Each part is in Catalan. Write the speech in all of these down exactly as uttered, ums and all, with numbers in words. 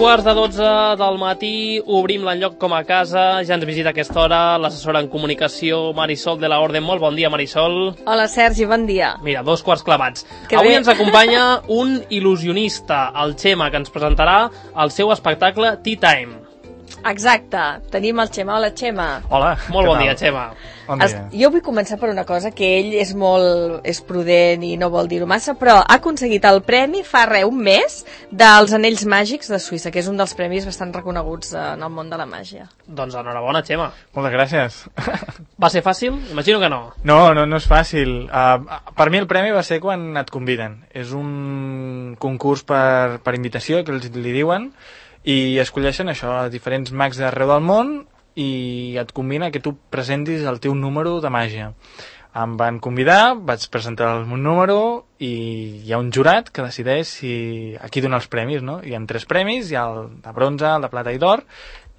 quarts de dotze del matí, obrim l'enlloc com a casa, ja ens visita a aquesta hora l'assessora en comunicació Marisol de la Orden. Molt bon dia, Marisol. Hola, Sergi, bon dia. Mira, dos quarts clavats. Que Avui bé. ens acompanya un il·lusionista, el Xema, que ens presentarà el seu espectacle Tea Time. Exacte, tenim el Xema. Hola, Xema. Hola. Molt bon tal? dia, Xema. Bon Es, dia. jo vull començar per una cosa, que ell és molt és prudent i no vol dir-ho massa, però ha aconseguit el premi fa res, un mes, dels Anells Màgics de Suïssa, que és un dels premis bastant reconeguts en el món de la màgia. Doncs enhorabona, Xema. Moltes gràcies. Va ser fàcil? Imagino que no. No, no, no és fàcil. Uh, per mi el premi va ser quan et conviden. És un concurs per, per invitació, que els li diuen, i escolleixen això, a diferents mags d'arreu del món, i et combina que tu presentis el teu número de màgia. Em van convidar, vaig presentar el meu número i hi ha un jurat que decideix si aquí dona els premis, no? Hi ha tres premis, hi ha el de bronze, el de plata i d'or,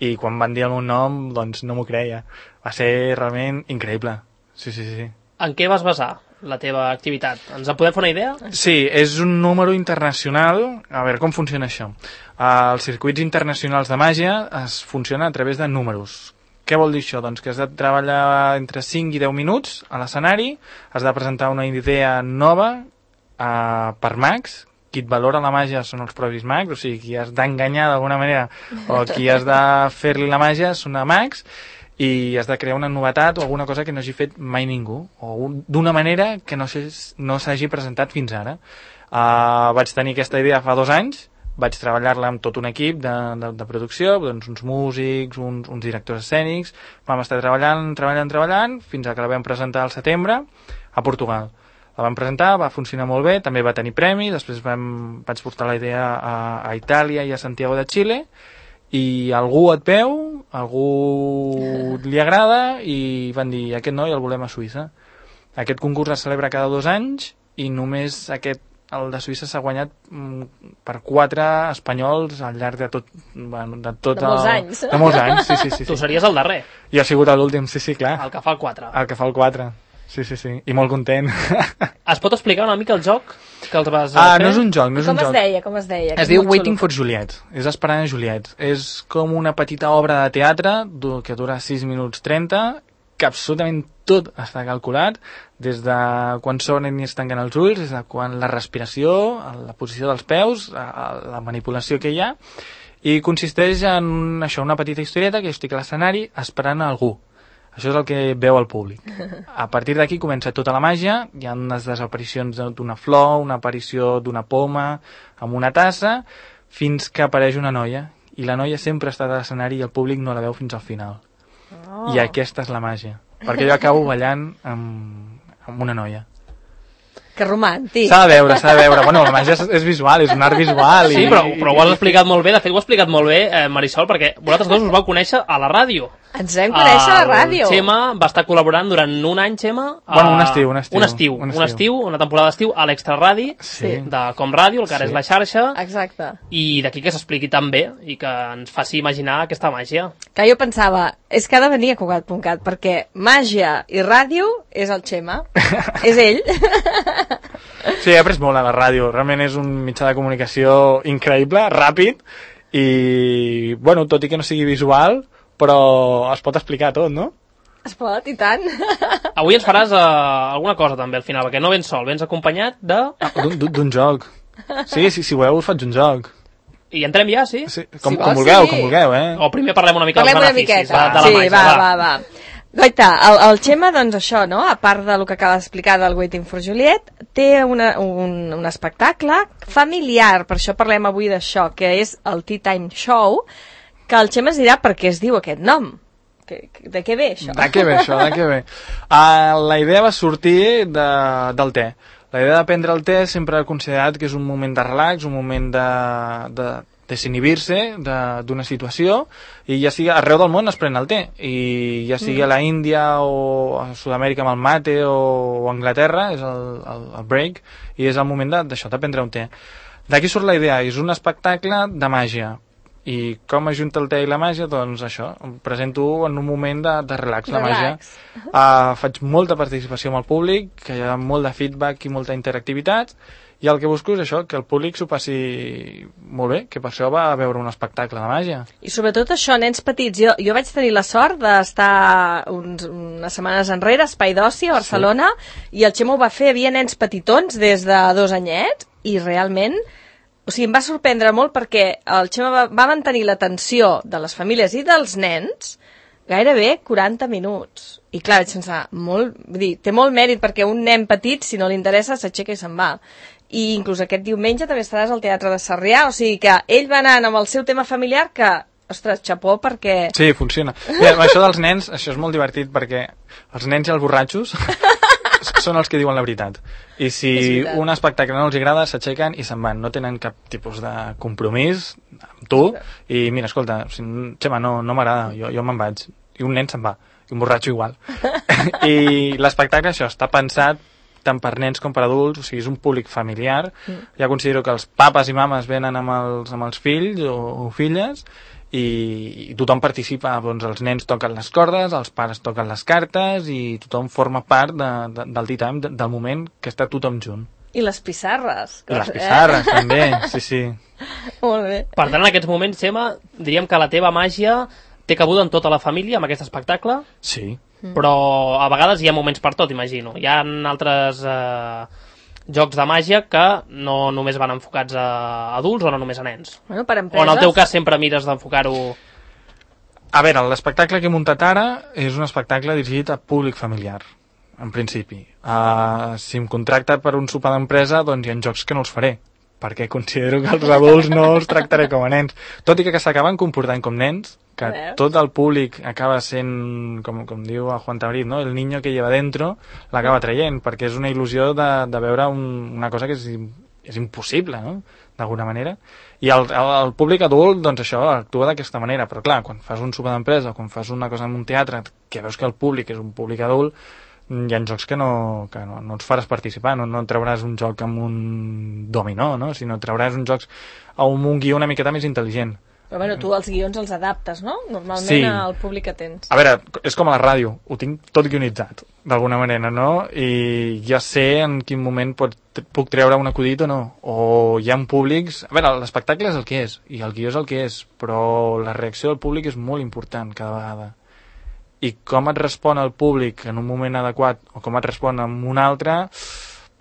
i quan van dir el meu nom, doncs no m'ho creia. Va ser realment increïble. Sí, sí, sí. En què vas basar la teva activitat? Ens en podem fer una idea? Sí, és un número internacional. A veure, com funciona això? Uh, els circuits internacionals de màgia es funcionen a través de números. Què vol dir això? Doncs que has de treballar entre cinc i deu minuts a l'escenari, has de presentar una idea nova uh, per mags. Qui et valora la màgia són els propis mags, o sigui, qui has d'enganyar d'alguna manera o qui has de fer-li la màgia són a mags, i has de crear una novetat o alguna cosa que no hagi fet mai ningú, o un, d'una manera que no s'hagi no presentat fins ara. Uh, vaig tenir aquesta idea fa dos anys, vaig treballar-la amb tot un equip de, de, de producció, doncs uns músics, uns, uns directors escènics, vam estar treballant, treballant, treballant, fins a que la vam presentar al setembre a Portugal. La vam presentar, va funcionar molt bé, també va tenir premi, després vam, vaig portar la idea a, a Itàlia i a Santiago de Xile, i algú et veu, algú li agrada, i van dir, aquest noi el volem a Suïssa. Aquest concurs es celebra cada dos anys, i només aquest, el de Suïssa, s'ha guanyat mm, per quatre espanyols al llarg de tot, bueno, de tot De molts el, anys. De molts anys, sí, sí, sí. Tu sí. series el darrer, Jo he sigut l'últim, sí, sí, clar. el que fa el quatre. El que fa el quatre. Sí, sí, sí. I molt content. Es pot explicar una mica el joc que els vas Ah, fer? no és un joc, no és Com un es joc. deia, com es deia? Es diu Waiting for Juliet, és Esperant a Juliet. És com una petita obra de teatre du- que dura sis minuts trenta, que absolutament tot està calculat, des de quan s'obren i es tanquen els ulls, des de quan la respiració, la posició dels peus, la manipulació que hi ha, i consisteix en això, una petita historieta que jo estic a l'escenari esperant a algú. Això és el que veu el públic. A partir d'aquí comença tota la màgia, hi ha unes desaparicions d'una flor, una aparició d'una poma, amb una tassa, fins que apareix una noia. I la noia sempre està a l'escenari i el públic no la veu fins al final. Oh. I aquesta és la màgia. Perquè jo acabo ballant amb, amb una noia. Que romàntic. S'ha de veure, s'ha de veure. Bueno, la màgia és, és visual, és un art visual. Sí, i, però, però ho has explicat molt bé. De fet, ho has explicat molt bé, eh, Marisol, perquè vosaltres dos us vau conèixer a la ràdio. Ens vam conèixer a la ràdio. El Xema va estar col·laborant durant un any, Xema. A... Bueno, un estiu, un estiu. Un estiu, Un un estiu. estiu, una temporada d'estiu a l'Extraradi Sí. de Com Ràdio, el que ara Sí. és la xarxa, Exacte. i d'aquí que s'expliqui tan bé i que ens faci imaginar aquesta màgia. Que jo pensava, és que ha de venir a Cugat punt cat, perquè màgia i ràdio és el Xema. És ell. Sí, he après molt a la ràdio. Realment és un mitjà de comunicació increïble, ràpid, i, bueno, tot i que no sigui visual, però es pot explicar tot, no? Es pot, i tant. Avui ens faràs uh, alguna cosa també al final, perquè no vens sol, vens acompanyat de... D'un- D'un d'un joc. Sí, sí, si voleu us faig un joc. I entrem ja, sí? Sí, com, Si com vols, vulgueu, sí. com vulgueu, eh? O primer parlem una mica Parlem dels una beneficis miqueta. de, de la sí, màgia. va, va, va. Goita, el, el Xema, doncs això, no? A part del que acaba d'explicar del Waiting for Juliet, té una, un, un espectacle familiar, per això parlem avui d'això, que és el Tea Time Show, que el Xema es dirà per què es diu aquest nom. Que, que, de què ve això? De què ve això, de què ve? Uh, la idea va sortir de, del te. La idea de prendre el te sempre he considerat que és un moment de relax, un moment de, de desinhibir-se d'una situació, i ja sigui arreu del món es pren el te, i ja sigui a la Índia o a Sud-amèrica amb el mate o, o a Anglaterra és el, el, el break, i és el moment d'això, de, de prendre un te. D'aquí surt la idea, és un espectacle de màgia. I com ajunta el te i la màgia? Doncs això, em presento en un moment de, de relax, la màgia. Uh, faig molta participació amb el públic, que hi ha molt de feedback i molta interactivitat, i el que busco és això, que el públic s'ho passi molt bé, que per això va a veure un espectacle de màgia. I sobretot això, nens petits. Jo, jo vaig tenir la sort d'estar uns, unes setmanes enrere a Espai d'Oci a Barcelona, sí. I el Xemo ho va fer, hi havia nens petitons des de dos anyets, i realment, o sigui, em va sorprendre molt perquè el Xemo va, va mantenir l'atenció de les famílies i dels nens gairebé quaranta minuts. I clar, vaig pensar, molt, vull dir, té molt mèrit perquè un nen petit, si no li interessa, s'aixeca i se'n va. I inclús aquest diumenge també estaràs al Teatre de Sarrià, o sigui que ell va anant amb el seu tema familiar que, ostres, xapó, perquè... Sí, funciona. Mira, això dels nens, això és molt divertit perquè els nens i els borratxos són els que diuen la veritat. I si un espectacle no els agrada, s'aixequen i se'n van. No tenen cap tipus de compromís amb tu. I mira, escolta, si, Xema, no, no m'agrada, jo, jo me'n vaig. I un nen se'n va. I un borratxo igual. I l'espectacle, això, està pensat tant per nens com per adults, o sigui, és un públic familiar. Mm. Ja considero que els papes i mames venen amb els, amb els fills o, o filles i, i tothom participa, doncs els nens toquen les cordes, els pares toquen les cartes i tothom forma part de, de, del tea time, de, del moment que està tothom junt. I les pissarres. I les pissarres, eh? També, sí, sí. Molt bé. Per tant, en aquests moments, Xema, diríem que la teva màgia té cabuda en tota la família, amb aquest espectacle? Sí. Però a vegades hi ha moments per tot, imagino. Hi ha altres eh, jocs de màgia que no només van enfocats a adults o no només a nens. Bueno, per empreses... O en el teu cas sempre mires d'enfocar-ho... A veure, l'espectacle que he muntat ara és un espectacle dirigit a públic familiar, en principi. Uh, si em contracta per un sopar d'empresa, doncs hi ha jocs que no els faré, perquè considero que els adults no els tractaré com a nens. Tot i que, que s'acaben comportant com nens, que tot el públic acaba sent, com, com diu el Juan Tabrit, no? El niño que lleva dentro l'acaba traient, perquè és una il·lusió de, de veure un, una cosa que és, és impossible, no? D'alguna manera. I el, el, el públic adult, doncs això, actua d'aquesta manera, però clar, quan fas un sopar d'empresa o quan fas una cosa en un teatre, que veus que el públic és un públic adult, hi ha jocs que no, que no, no els faràs participar, no, no trauràs un joc amb un dominó, no? Sinó trauràs uns jocs amb un guió una miqueta més intel·ligent. Però bueno, tu els guions els adaptes, no? Normalment sí. Al públic que tens. A veure, és com a la ràdio, ho tinc tot guionitzat, d'alguna manera, no? I ja sé en quin moment pot, puc treure un acudit o no. O hi ha públics... A veure, l'espectacle és el que és, i el guió és el que és, però la reacció del públic és molt important cada vegada. I com et respon el públic en un moment adequat, o com et respon en un altre,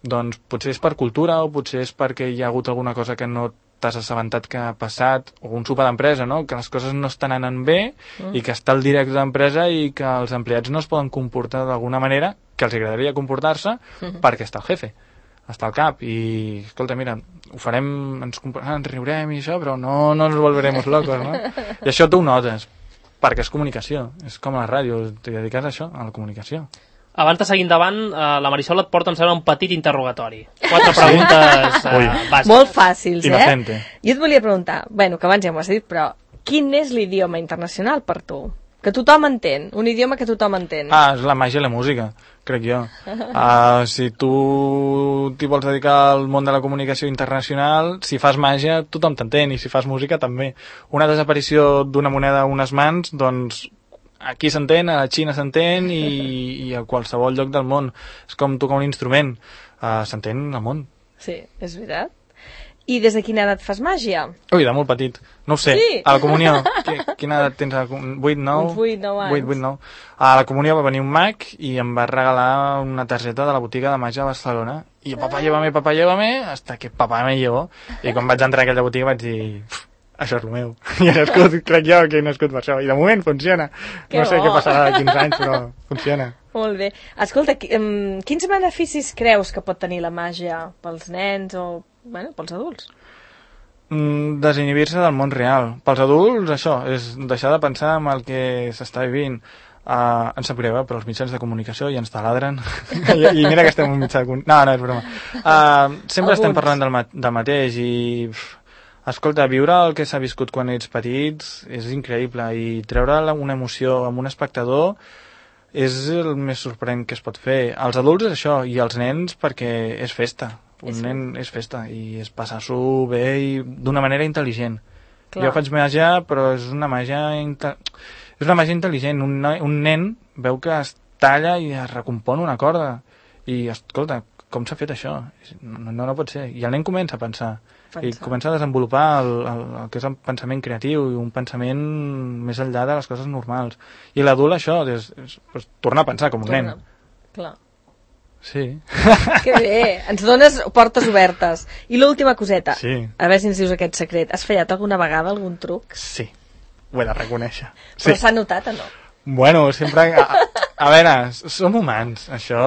doncs potser és per cultura, o potser és perquè hi ha hagut alguna cosa que no t'has assabentat que ha passat, o un sopar d'empresa, no? Que les coses no estan anant bé mm. i que està el directe d'empresa i que els empleats no es poden comportar d'alguna manera que els agradaria comportar-se mm. perquè està el jefe, està al cap i, escolta, mira, ho farem, ens, ens riurem i això, però no, no ens volveremos locos, no? I això tu ho notes, perquè és comunicació, és com a la ràdio, t'hi dediques a això, a la comunicació. Abans de seguir endavant, eh, la Marisol et porta, em sembla, un petit interrogatori. Quatre preguntes eh, bàsiques. Molt fàcils, Inocente. eh? Jo et volia preguntar, bueno, que abans ja m'ho has dit, però quin és l'idioma internacional per tu? Que tothom entén, un idioma que tothom entén. Ah, és la màgia i la música, crec jo. Uh, si tu t'hi vols dedicar al món de la comunicació internacional, si fas màgia, tothom t'entén, i si fas música també. Una desaparició d'una moneda a unes mans, doncs... Aquí s'entén, a la Xina s'entén i, i a qualsevol lloc del món. És com tocar un instrument. Uh, s'entén al món. Sí, és veritat. I des de quina edat fas màgia? Ui, de molt petit. No ho sé. Sí? A la comunió. Quina edat tens? vuit, nou? Uns vuit, nou anys. vuit, vuit, nou. A la comunió va venir un mag i em va regalar una targeta de la botiga de màgia de Barcelona. I jo, papà, llévame, papà, llévame, hasta que papà me llevó. I quan vaig entrar a aquella botiga vaig dir... Això és el meu. I he nascut, crec jo, que he nascut per això. I de moment funciona. Que no sé bo. què passarà de quinze anys, però funciona. Molt bé. Escolta, quins beneficis creus que pot tenir la màgia pels nens o, bueno, pels adults? Mm, desinhibir-se del món real. Pels adults, això, és deixar de pensar en el que s'està vivint. Uh, ens sap greu, eh, però els mitjans de comunicació ja ens taladren. I, I mira que estem en un mitjà de comunicació. No, no, és broma. Uh, sempre Alguns. estem parlant del, ma del mateix i... Pff, escolta, viure el que s'ha viscut quan ets petits és increïble i treure una emoció amb un espectador és el més sorprenent que es pot fer. Els adults és això, i els nens perquè és festa. Un és nen és festa i és passar-s'ho bé i d'una manera intel·ligent. Clar. Jo faig màgia, però és una màgia inte... és una màgia intel·ligent. Un, un nen veu que es talla i es recompon una corda. I, escolta, com s'ha fet això? No, no, no pot ser. I el nen comença a pensar. pensar. I comença a desenvolupar el, el, el que és el pensament creatiu i un pensament més enllà de les coses normals. I l'adult això, és, és, és, torna a pensar com un Torna. nen. Clar. Sí. Que bé, ens dones portes obertes. I l'última coseta, Sí. a veure si ens dius aquest secret. Has fallat alguna vegada algun truc? Sí, ho he de reconèixer. Però Sí. s'ha notat o no? Bueno, sempre... A, a veure, som humans, això...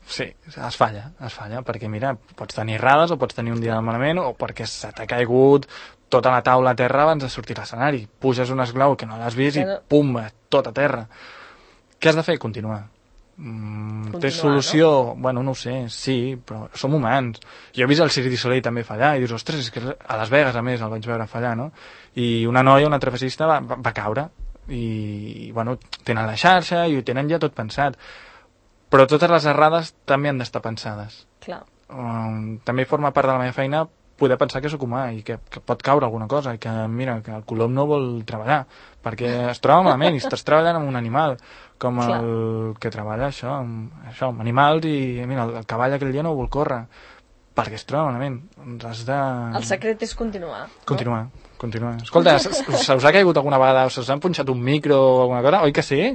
Sí, es falla, es falla, perquè mira, pots tenir errades o pots tenir un dia de malament o perquè se t'ha caigut tota la taula a terra abans de sortir a l'escenari. Puges un esglau que no l'has vist i pum, tot a terra. Què has de fer? Continuar. Mm, té solució? No? Bueno, no ho sé, sí, però som humans. Jo he vist el Cirque du Soleil també fallar i dius, ostres, és que a Las Vegas a més el vaig veure fallar, no? I una noia, una trapecista va, va, va caure i, bueno, tenen la xarxa i ho tenen ja tot pensat, però totes les errades també han d'estar pensades. Clar. Um, també forma part de la meva feina poder pensar que sóc humà i que, que pot caure alguna cosa i que, mira, que el colom no vol treballar perquè es troba malament i estàs treballant amb un animal com Clar. el que treballa això amb, això, amb animals i mira, el, el cavall aquell dia no vol córrer perquè es troba malament. Doncs has de... El secret és continuar. Continuar. No? Continuar. Escolta, se us ha caigut alguna vegada, us han punxat un micro o alguna cosa? Oi que sí?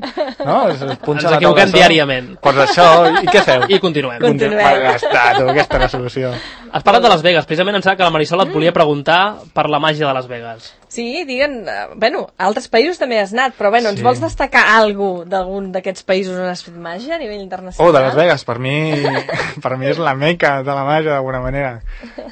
No? Es punxa Ens equivoquem diàriament. Pues això, i què feu? I continuem. Continuem. Va, ja està, tu, aquesta és la solució. Has parlat de Las Vegas, precisament em sembla que la Marisol et volia preguntar per la màgia de Las Vegas. Sí, diguen... Uh, bueno, a altres països també has anat, però bueno, ens Sí. vols destacar alguna cosa d'algun d'aquests països on has fet màgia a nivell internacional? Oh, de Las Vegas, per mi, per mi és la meca de la màgia, d'alguna manera.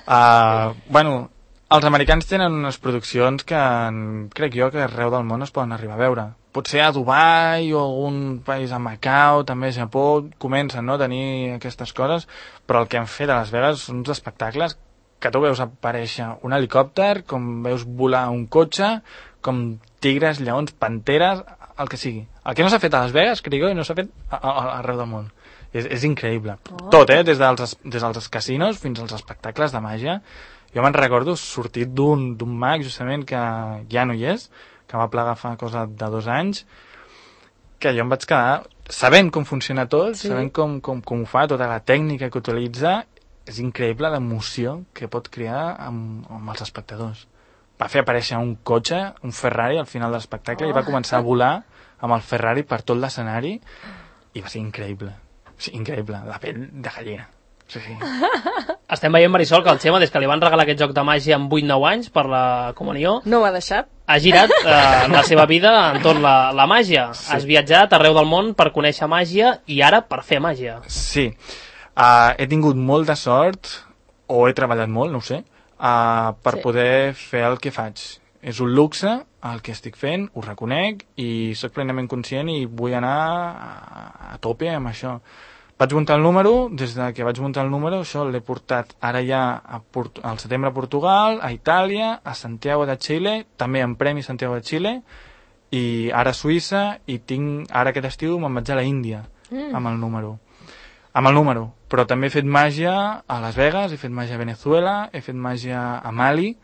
Uh, bueno, els americans tenen unes produccions que en, crec jo que arreu del món es poden arribar a veure. Potser a Dubai o algun país a Macau, també a Japó, comencen no, a tenir aquestes coses, però el que han fet a Las Vegas són uns espectacles que tu veus aparèixer un helicòpter, com veus volar un cotxe, com tigres, lleons, panteres, el que sigui. El que no s'ha fet a Las Vegas, crec jo, i no s'ha fet a, a, a, arreu del món. És, és increïble. Oh. Tot, eh? Des dels, des dels casinos fins als espectacles de màgia. Jo me'n recordo sortit d'un d'un mag, justament, que ja no hi és, que va plegar fa cosa de dos anys, que jo em vaig quedar sabent com funciona tot, sí. sabent com, com, com ho fa, tota la tècnica que utilitza, és increïble l'emoció que pot crear amb, amb els espectadors. Va fer aparèixer un cotxe, un Ferrari, al final de l'espectacle, oh. i va començar a volar amb el Ferrari per tot l'escenari, i va ser increïble. Sí, increïble, la pell de gallina. Sí, sí. Estem veient, Marisol, que el Xema, des que li van regalar aquest joc de màgia amb vuit nou anys per la comunió, No ho ha deixat? ha girat eh, en la seva vida entorn la, la màgia. Sí. Has viatjat arreu del món per conèixer màgia i ara per fer màgia. Sí. Uh, he tingut molt de sort, o he treballat molt, no ho sé, uh, per Sí. sí. poder fer el que faig. És un luxe el que estic fent, ho reconec, i sóc plenament conscient i vull anar a, a tope amb això. Vaig muntar el número, des de que vaig muntar el número, això l'he portat ara ja a Port al setembre a Portugal, a Itàlia, a Santiago de Xile, també en Premi Santiago de Xile, i ara a Suïssa, i tinc, ara aquest estiu me'n vaig a la Índia, mm. amb el número. Amb el número. Però també he fet màgia a Las Vegas, he fet màgia a Venezuela, he fet màgia a Mali,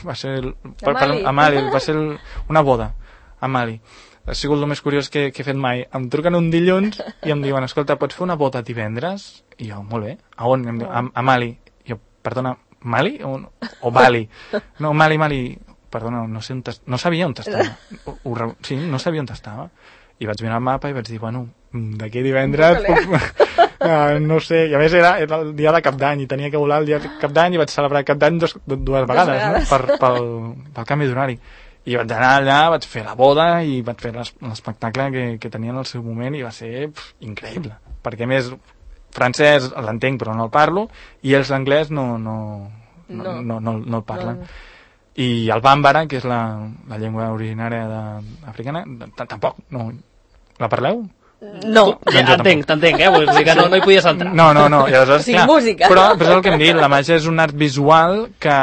va ser... El, per, per, a Mali, va ser el, una boda, a Mali. Ha sigut el més curiós que, que he fet mai. Em truquen un dilluns i em diuen, escolta, pots fer una boda divendres? I jo, molt bé. A on? Em diuen, a, a Mali. I jo, perdona, Mali? O, o Bali? No, Mali, Mali. Perdona, no sé on no sabia on estava. Ho, ho, sí, no sabia on estava. I vaig mirar el mapa i vaig dir, bueno, d'aquí divendres... Uh, no sé, i a més era, era el dia de Cap d'Any i tenia que volar el dia de Cap d'Any i vaig celebrar Cap d'Any dos, dues vegades, vegades. No? Per, pel, pel canvi d'horari. I vaig anar allà, vaig fer la boda i vaig fer l'espectacle que, que tenia en el seu moment i va ser pff, increïble. Perquè a més, francès l'entenc però no el parlo i els anglès no, no, no, no, no, no, no el parlen. No. I el bàmbara, que és la, la llengua originària de, africana, tampoc. No. La parleu? No. Ja, entenc, t'entenc, eh? Vull dir que no, no hi podies entrar. No, no, no. I aleshores, sí, clar, música. Però, però és el que hem dit, la màgia és un art visual que,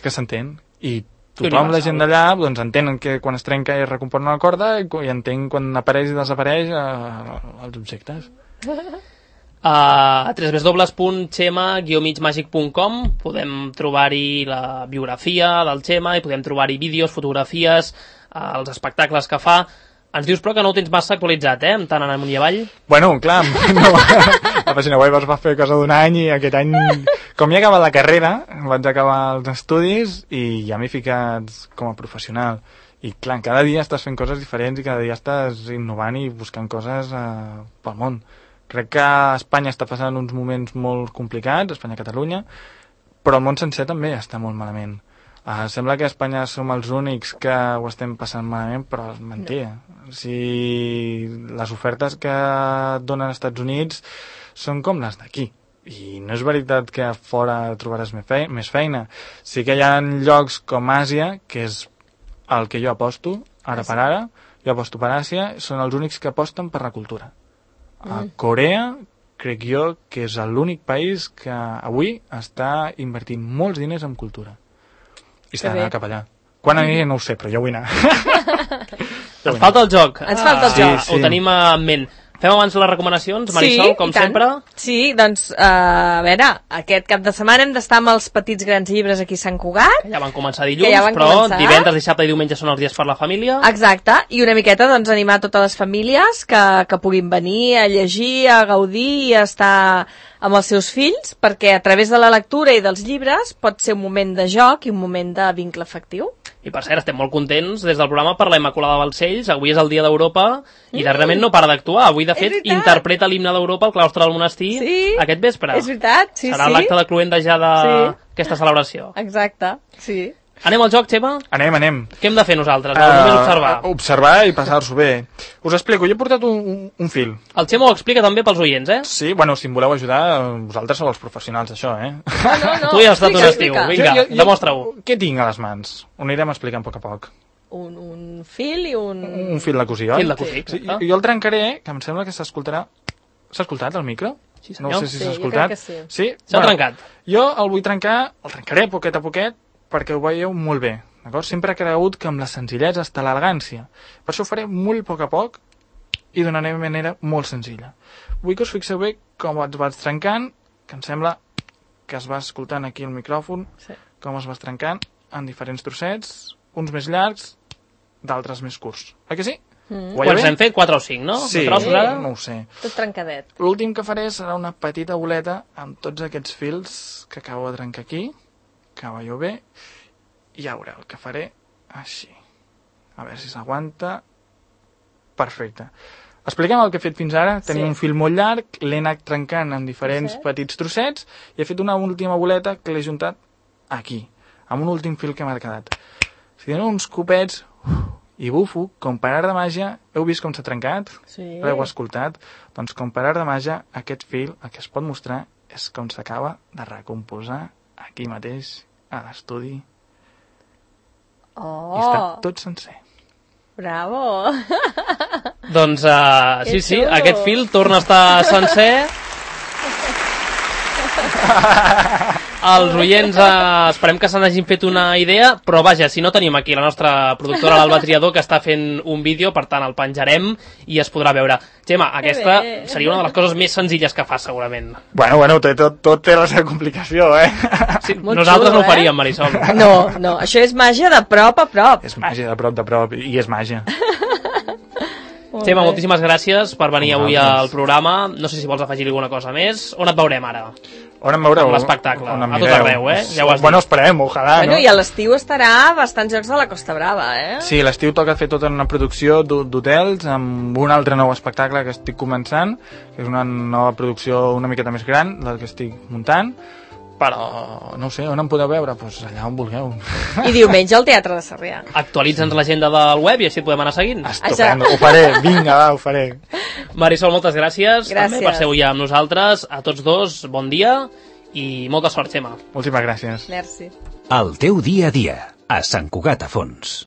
que s'entén. I tothom, la gent d'allà, doncs entenen que quan es trenca i es recompon una corda i, i entén quan apareix i desapareix eh, els objectes. A w w w punt xema guió mig màgic punt com podem trobar-hi la biografia del Xema i podem trobar-hi vídeos, fotografies, els espectacles que fa. Ens dius, però, que no ho tens massa actualitzat, eh? Tant en amunt i avall. Bueno, clar, no, la pàgina web es va fer cosa d'un any i aquest any, com ja he acabat la carrera, vaig acabar els estudis i ja m'he ficat com a professional. I clar, cada dia estàs fent coses diferents i cada dia estàs innovant i buscant coses eh, pel món. Crec que Espanya està passant uns moments molt complicats, Espanya i Catalunya, però el món sencer també està molt malament. Uh, sembla que a Espanya som els únics que ho estem passant malament, però és mentida. No. Si les ofertes que et donen als Estats Units són com les d'aquí. I no és veritat que a fora trobaràs més feina. Sí que hi ha llocs com Àsia, que és el que jo aposto, ara per ara, jo aposto per Àsia, són els únics que aposten per la cultura. Mm. A Corea, crec jo que és l'únic país que avui està invertint molts diners en cultura. I s'ha d'anar cap allà. Quan aniré no ho sé, però jo vull anar. Ens falta el joc. Ens falta el sí, joc. Sí. Ho tenim en ment. Fem abans les recomanacions, Marisol, sí, com sempre. Sí, doncs, uh, a veure, aquest cap de setmana hem d'estar amb els petits grans llibres aquí a Sant Cugat. Que ja van començar dilluns, ja van però començar. Divendres, dissabte i diumenge són els dies per la família. Exacte, i una miqueta doncs, animar totes les famílies que, que puguin venir a llegir, a gaudir i a estar amb els seus fills, perquè a través de la lectura i dels llibres pot ser un moment de joc i un moment de vincle afectiu. I per cert, estem molt contents des del programa per la Immaculada Balcells. Avui és el dia d'Europa i mm. darrerament no para d'actuar. Avui, de fet, interpreta l'himne d'Europa al claustre del monestir sí, aquest vespre. És veritat, sí, Serà sí. l'acte de cluenda ja d'aquesta sí. celebració. Exacte, sí. Anem al joc, Xema? Anem, anem. Què hem de fer nosaltres? Uh, només observar. Observar i passar-s'ho bé. Us explico, jo he portat un, un, un fil. El Xema ho explica també pels oients, eh? Sí, bueno, si em voleu ajudar, vosaltres sou els professionals d'això, eh? No, no, no. Tu ja has estat un estiu, vinga, jo, jo, demostra-ho. Què tinc a les mans? Ho anirem explicant a poc a poc. Un, un fil i un... Un fil de cosir, oi? Fil de cosir, sí, jo, jo el trencaré, que em sembla que s'escoltarà... S'ha escoltat el micro? Sí, senyor. No sé si s'ha sí, escoltat. sí. Sí? S'ha bueno, trencat. Jo el vull trencar, el trencaré poquet a poquet, perquè ho veieu molt bé. D'acord? Sempre he cregut que amb la senzillesa està l'elegància. Per això ho faré molt a poc a poc i donaré de manera molt senzilla. Vull que us fixeu bé com es vaig trencant, que em sembla que es va escoltant aquí el micròfon, sí. com es va trencant en diferents trossets, uns més llargs, d'altres més curts. Oi que sí? Mm. Quants hem fet? quatre o cinc, no? Sí, trossos, ara? no ho sé. Tot trencadet. L'últim que faré serà una petita boleta amb tots aquests fils que acabo de trencar aquí, que veieu bé, i ja veureu el que faré així. A veure si s'aguanta. Perfecte. Expliquem el que he fet fins ara. Tenim sí. un fil molt llarg, l'he anat trencant en diferents sí. petits trossets i he fet una última boleta que l'he juntat aquí, amb un últim fil que m'ha quedat. Si dono uns copets i bufo, com per art de màgia, heu vist com s'ha trencat? Sí. L'heu escoltat? Doncs com per art de màgia, aquest fil, el que es pot mostrar és com s'acaba de recomposar aquí mateix, a l'estudi. Oh. I està tot sencer. Bravo! Doncs uh, sí, sí, xulo. aquest fil torna a estar sencer. Els oients uh, esperem que se n'hagin fet una idea, però vaja, si no tenim aquí la nostra productora, l'Alba Triador, que està fent un vídeo, per tant el penjarem i es podrà veure. Gemma, aquesta seria una de les coses més senzilles que fas, segurament. Bueno, bueno, tot, tot, tot té la seva complicació, eh? Sí, nosaltres xulo, no ho faríem, eh? Marisol. No, no, això és màgia de prop a prop. És màgia de prop de prop, i és màgia. Gemma, moltíssimes gràcies per venir avui al programa. No sé si vols afegir alguna cosa més. On et veurem ara? On em veureu? L'espectacle. A tot arreu, eh? Ja ho has dit. Bueno, esperem, ojalà, bueno, no? I a l'estiu estarà a bastants jocs de la Costa Brava, eh? Sí, l'estiu toca fer tota una producció d'hotels amb un altre nou espectacle que estic començant, que és una nova producció una miqueta més gran del que estic muntant, però no sé, on em podeu veure? Doncs pues allà on vulgueu. I diumenge al Teatre de Sarrià. Actualitza'ns l'agenda del web i així et podem anar seguint. Estupendo, ho faré, vinga, va, ho faré. Marisol, moltes gràcies, gràcies també per ser avui amb nosaltres. A tots dos, bon dia i molta sort, Gemma. Moltíssimes gràcies. Merci. El teu dia a dia, a Sant Cugat a Fons.